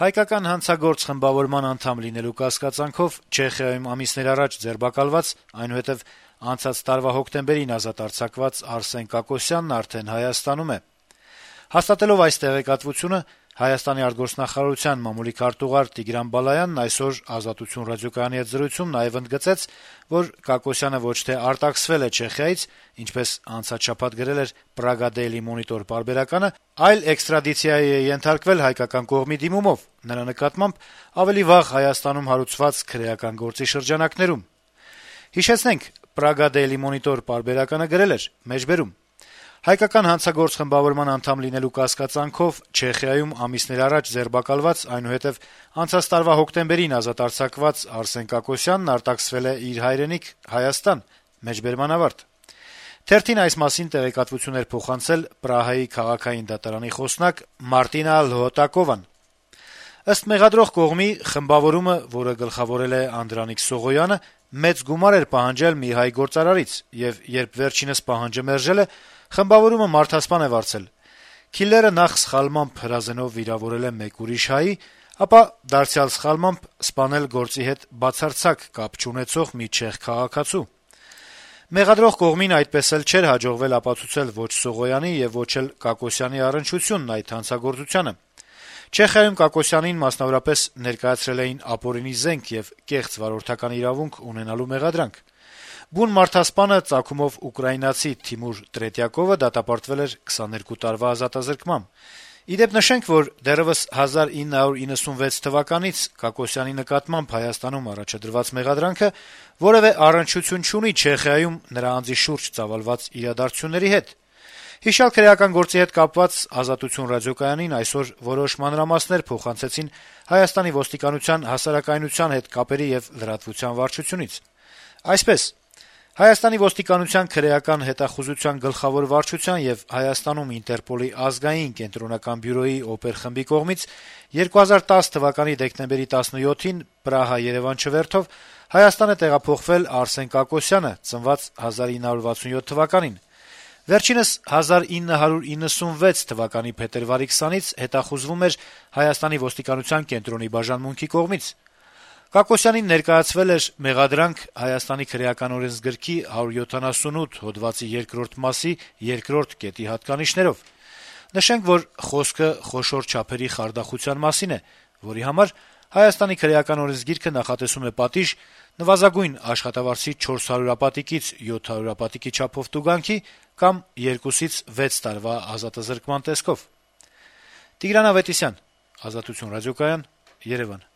Հայկական հանցագործ խմբավորման անդամ լինելու կասկածանքով Չեխիայում ամիսներ առաջ ձերբակալված, այնուհետև անցած տարվա հոկտեմբերին ազատ արձակված Արսեն Կակոսյանն արդեն Հայաստանում է։ Հաստատելով այս տեղեկատվությունը, Հայաստանի արտգործնախարարության մամուլի քարտուղար Տիգրան Բալայանն այսօր «Ազատություն» ռադիոկայանի հետ զրույցում նաեւ ընդգծեց, որ Կակոսյանը ոչ թե արտաքսվել է Չեխիայից, ինչպես անցած շաբաթ գրել էր Praga Daily Monitor պարբերականը, այլ էքստրադիցիայի է ենթարկվել հայկական կողմի դիմումով, նրա նկատմամբ ավելի վաղ Հայաստանում հարուցված քրեական գործի շրջանակներում։ Հիշեցնենք, Praga Daily Monitor պարբերականը գրել էր. մեջբերում. Հայկական հանցագործ խմբավորման անդամ լինելու կասկածանքով Չեխիայում ամիսներ առաջ ձերբակալված, այնուհետև անցած տարվա հոկտեմբերին ազատ արձակված Արսեն Կակոսյանն արտաքսվել է իր հայրենիք Հայաստան։ Մեջբերման ավարտ։ Թերթին այս մասին տեղեկատվություն էր փոխանցել Պրահայի քաղաքային դատարանի խոսնակ Մարտինա Լհոտակովան։ Ըստ մեղադրող կողմի, խմբավորումը, որը գլխավորել է Անդրանիկ Սողոյանը, մեծ գումար էր պահանջել մի հայ գործարարից, եւ երբ վերջինս պահանջը մերժել է, խմբավորումը մարդասպան է վարձել։ Քիլլերը նախ սխալմամբ հրազենով վիրավորել է մեկ ուրիշ հայի, ապա դարձյալ սխալմամբ սպանել գործի հետ բացարձակ կապ չունեցող մի չեխ քաղաքացու։ Մեղադրող կողմին այդպես էլ չէր հաջողվել ապացուցել ոչ Սողոյանի եւ ոչ էլ Կակոսյանի առնչությունն այդ հանցագործությանը։ Չեխիայում Կակոսյանին մասնավորապես ներկայացրել էին ապօրինի զենք եւ կեղծ վարորդական իրավունք ունենալու մեղադրանք։ Բուն մարդասպանը ծագումով ուկրաինացի Թիմուր Տրետյակովը դատապարտվել էր 22 տարվա ազատազրկմամբ։ Ի դեպ նշենք, որ դեռեւս 1996 թվականից Կակոսյանի նկատմամբ Հայաստանում առաջադրված մեղադրանքը որեւէ առնչություն չունի Չեխիայում նրա անձի շուրջ ծավալված իրադարձությունների հետ։ Հիշյալ քրեական գործի հետ կապված «Ազատություն» ռադիոկայանին այսօր որոշ մանրամասներ փոխանցեցին Հայաստանի ոստիկանության հասարակայնության հետ կապերի եւ լրատվության վարչությունից։ Այսպես, Հայաստանի ոստիկանության քրեական հետախուզության գլխավոր վարչության եւ Հայաստանում Ինտերպոլի ազգային կենտրոնական բյուրոյի օպերխմբի կողմից 2010 թվականի դեկտեմբերի 17-ին Պրահա-Երևան չվերթով Հայաստան է տեղափոխվել Արսեն Կակոսյանը, ծնված 1967 թվականին։ Վերջինս 1996 թվականի փետրվարի 20-ից հետախուզվում էր Հայաստանի ոստիկանության կենտրոնի բաժանմունքի կողմից։ Կակոսյանին ներկայացվել էր մեղադրանք Հայաստանի քրեական օրենսգրքի 178 հոդվածի 2-րդ մասի 2-րդ կետի հատկանիշներով։ Նշենք, որ խոսքը խոշոր չափերի խարդախության մասին է, որի համար Հայաստանի քրեական օրենսգիրքը նախատեսում է պատիժ նվազագույն աշխատավարձի 400-ապատիկից 700-ապատիկի չափով տուգանքի կամ 2-ից 6 տարվա ազատազրկման տեսքով։ Տիգրան Ավետիսյան, Ազատություն ռադիոկայան, Երևան։